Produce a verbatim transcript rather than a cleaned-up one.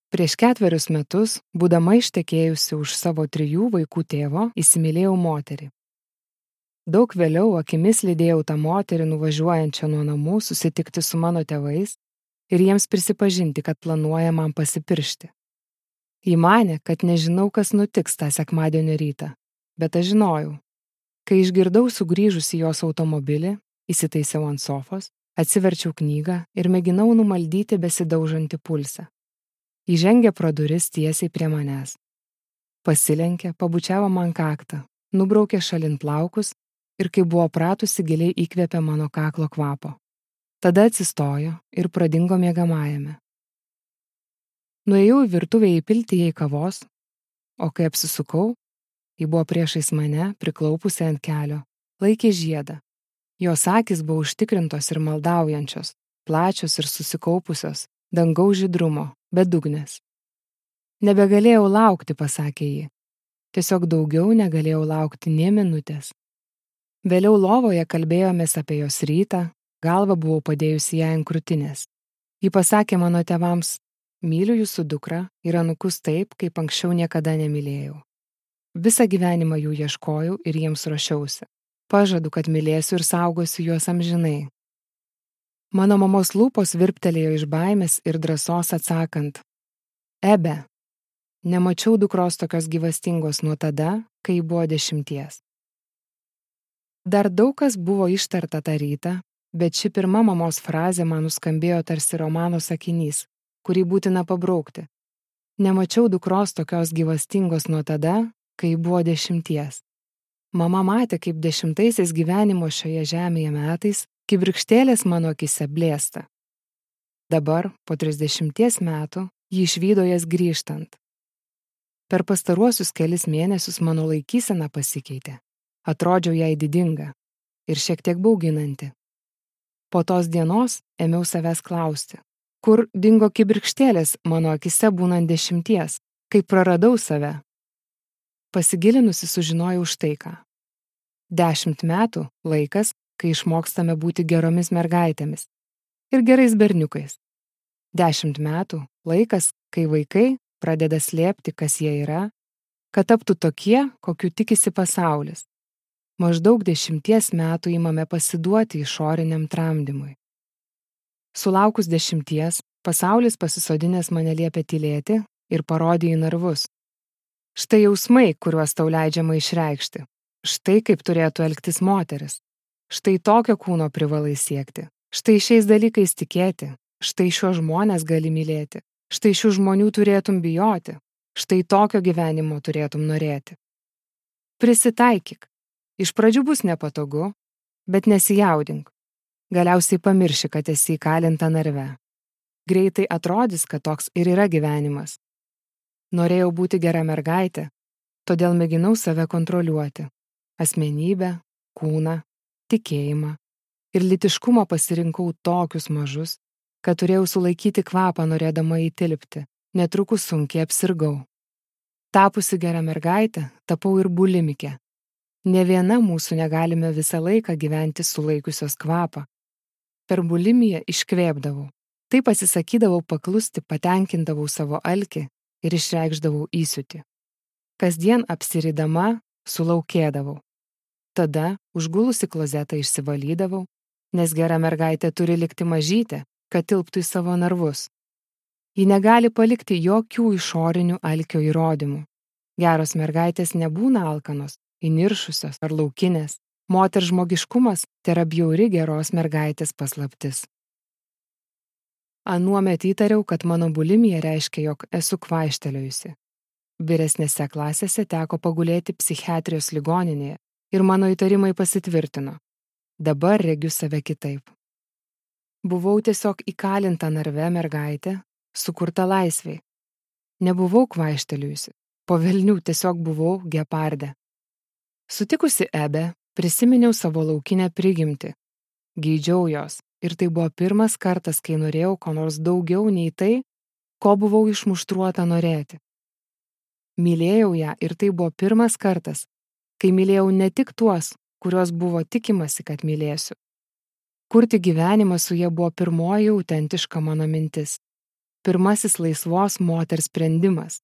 Prieš ketverius metus, būdama ištekėjusi už savo trijų vaikų tėvo, įsimylėjau moterį. Daug vėliau akimis lydėjau tą moterį nuvažiuojančią nuo namų susitikti su mano tėvais ir jiems prisipažinti, kad planuoja man pasipiršti. Ji manė, kad nežinau, kas nutiks tą sekmadienio rytą, bet aš žinojau. Kai išgirdau sugrįžusi jos automobilį, įsitaisiau ant sofos, atsiverčiau knygą ir mėginau numaldyti besidaužantį pulsą. Įžengė pro duris tiesiai prie manęs. Pasilenkė, pabučiavo man kaktą, nubraukė šalin plaukus ir, kai buvo pratusi, giliai įkvėpė mano kaklo kvapo. Tada atsistojo ir pradingo miegamajame. Nuėjau į virtuvę įpilti jai kavos, o kai apsisukau, ji buvo priešais mane, priklaupusi ant kelio, laikė žiedą. Jos akys buvo užtikrintos ir maldaujančios, plačios ir susikaupusios, dangaus žydrumo, bedugnės. Nebegalėjau laukti, pasakė ji. Tiesiog daugiau negalėjau laukti nė minutės. Vėliau lovoje kalbėjomės apie jos rytą, galvą buvau padėjusi ją ant krūtinės. Ji pasakė mano tėvams, myliu jūsų dukrą ir anūkus taip, kaip anksčiau niekada nemylėjau. Visą gyvenimą jų ieškojau ir jiems ruošiausi. Pažadu, kad mylėsiu ir saugosiu juos amžinai. Mano mamos lūpos virptelėjo iš baimės ir drąsos atsakant. Ebe, nemačiau dukros tokios gyvastingos nuo tada, kai buvo dešimties. Dar daug kas buvo ištarta tą rytą, bet ši pirma mamos frazė man nuskambėjo tarsi romano sakinys, kurį būtina pabraukti. Nemačiau dukros tokios gyvastingos nuo tada, kai buvo dešimties. Mama matė, kaip dešimtaisiais gyvenimo šioje žemėje metais kibirkštėlės mano akise blėsta. Dabar, po trisdešimties metų, ji išvydo jas grįžtant. Per pastaruosius kelis mėnesius mano laikysena pasikeitė. Atrodžiau jai didinga ir šiek tiek bauginanti. Po tos dienos ėmiau savęs klausti, kur dingo kibirkštėlės mano akise būnant dešimties, kai praradau save. Pasigilinusi sužinojau štai ką. Dešimt metų laikas, kai išmokstame būti geromis mergaitėmis ir gerais berniukais. Dešimt metų laikas, kai vaikai pradeda slėpti, kas jie yra, kad taptų tokie, kokių tikisi pasaulis. Maždaug dešimties metų imame pasiduoti išoriniam tramdymui. Sulaukus dešimties, pasaulis pasisodinęs mane liepė tylėti ir parodė į narvus. Štai jausmai, kuriuos tau leidžiama išreikšti. Štai kaip turėtų elgtis moteris. Štai tokio kūno privalai siekti. Štai šiais dalykais tikėti. Štai šiuos žmonės gali mylėti. Štai šių žmonių turėtum bijoti. Štai tokio gyvenimo turėtum norėti. Prisitaikyk. Iš pradžių bus nepatogu, bet nesijaudink. Galiausiai pamirši, kad esi įkalinta narve. Greitai atrodys, kad toks ir yra gyvenimas. Norėjau būti gera mergaitė, todėl mėginau save kontroliuoti. Asmenybę, kūną, tikėjimą ir lytiškumą pasirinkau tokius mažus, kad turėjau sulaikyti kvapą norėdama įtilpti, netrukus sunkiai apsirgau. Tapusi gera mergaitė, tapau ir bulimikė. Ne viena mūsų negalime visą laiką gyventi sulaikiusios kvapą. Per bulimiją iškvėpdavau. Taip atsisakydavau paklusti, patenkindavau savo alkį ir išreikšdavau įsiūtį. Kasdien apsiridama sulaukėdavau. Tada užgulusi klozetą išsivalydavau, nes gera mergaitė turi likti mažytė, kad tilptų į savo narvus. Ji negali palikti jokių išorinių alkio įrodymų. Geros mergaitės nebūna alkanos, įniršusios ar laukinės. Moters žmogiškumas tėra bjauri geros mergaitės paslaptis. Anuomet įtariau, kad mano bulimija reiškia, jog esu kvaištelėjusi. Vyresnėse klasėse teko pagulėti psichiatrijos ligoninėje ir mano įtarimai pasitvirtino. Dabar regiu save kitaip. Buvau tiesiog įkalinta narve mergaitė, sukurta laisvei. Nebuvau kvaištelėjusi, po velnių tiesiog buvau gepardė. Sutikusi Ebę, prisiminiau savo laukinę prigimtį. Geidžiau jos. Ir tai buvo pirmas kartas, kai norėjau ko nors daugiau nei tai, ko buvau išmuštruota norėti. Mylėjau ją ir tai buvo pirmas kartas, kai mylėjau ne tik tuos, kuriuos buvo tikimasi, kad mylėsiu. Kurti gyvenimą su ja buvo pirmoji autentiška mano mintis. pirmasis laisvos moters sprendimas.